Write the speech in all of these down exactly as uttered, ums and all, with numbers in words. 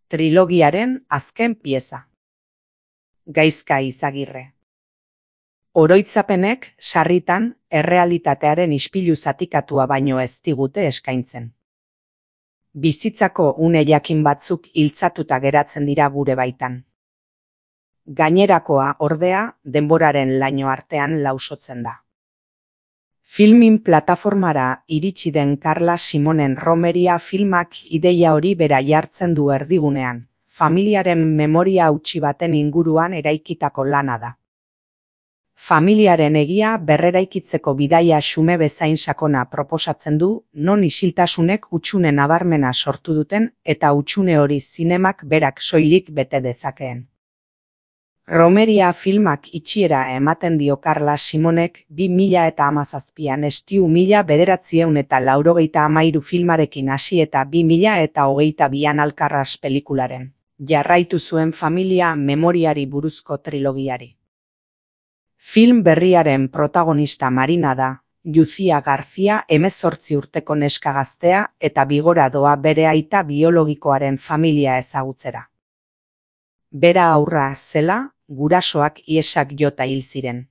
trilogiaren azken pieza. Gaizka Izagirre. Oroitzapenek sarritan errealitatearen ispilu zatikatua baino ez digute eskaintzen. Bizitzako une jakin batzuk hiltzatuta geratzen dira gure baitan. Gainerakoa, ordea, denboraren laino artean lausotzen da. Filmin plataformara iritsi den Carla Simonen Romeria filmak ideia hori bera jartzen du erdigunean, familiaren memoria hautsi baten inguruan eraikitako lana da. Familiaren egia berreraikitzeko bidaia xume bezain sakona proposatzen du, non isiltasunek hutsune nabarmena sortu duten eta hutsune hori zinemak berak soilik bete dezakeen. Romeria filmak itxiera ematen dio Carla Simonek bi mila eta hamazazpian estiu mila bederatziehun eta laurogeita hamairu filmarekin hasi eta bi mila eta hogeita bian Alkarras pelikularen jarraitu zuen familia memoriari buruzko trilogiari. Film berriaren protagonista Marina da, Lucia García hemezortzi urteko neska gaztea eta bigora doa bere aita biologikoaren familia ezagutzera. Bera aurra zela, gurasoak iesak jota hil ziren.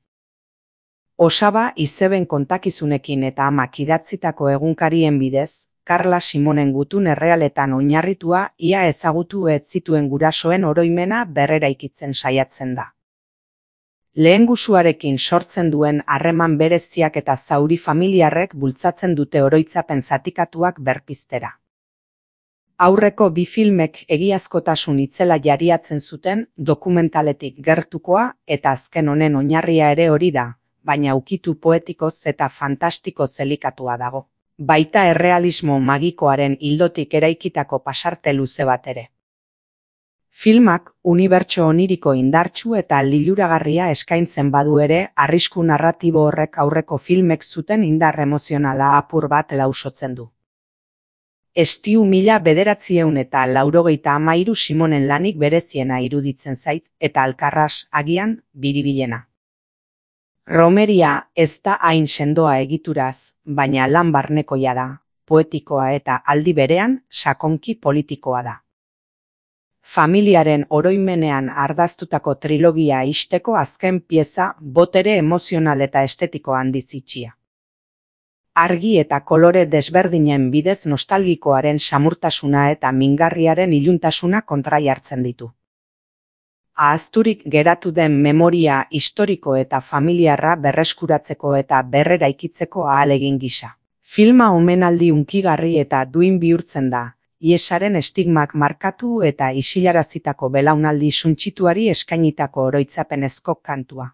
Osaba izeben kontakizunekin eta amak idatzitako egunkarien bidez, Carla Simonen gutun errealetan oinarritua ia ezagutu ez zituen gurasoen oroimena berreraikitzen saiatzen da. Lehengusuarekin sortzen duen harreman bereziak eta zauri familiarrek bultzatzen dute oroitzapen zatikatuak berpiztera. Aurreko bi filmek egiazkotasun itzela jariatzen zuten dokumentaletik gertukoa eta azken honen oinarria ere hori da, baina ukitu poetikoz eta fantastikoz elikatua dago. Baita errealismo magikoaren ildotik eraikitako pasarte luze bat ere. Filmak unibertso oniriko indartsu eta liluragarria eskaintzen badu ere, arrisku narratibo horrek aurreko filmek zuten indar emozionala apur bat lausotzen du. Estiu mila bederatziehun eta laurogeita hamairu Simonen lanik bereziena iruditzen zait, eta Alkarras agian biribilena. Romeria ez da hain sendoa egituraz, baina lan barnekoia da, poetikoa eta aldi berean sakonki politikoa da. Familiaren oroimenean ardaztutako trilogia ixteko azken pieza botere emozional eta estetiko handiz itxia. Argi eta kolore desberdinen bidez nostalgikoaren samurtasuna eta mingarriaren iluntasuna kontrajartzen ditu. Ahazturik geratu den memoria historiko eta familiarra berreskuratzeko eta berreraikitzeko ahalegin gisa. Filma omenaldi hunkigarri eta duin bihurtzen da, iesaren estigmak markatu eta isilarazitako belaunaldi suntsituari eskainitako oroitzapenezko kantua.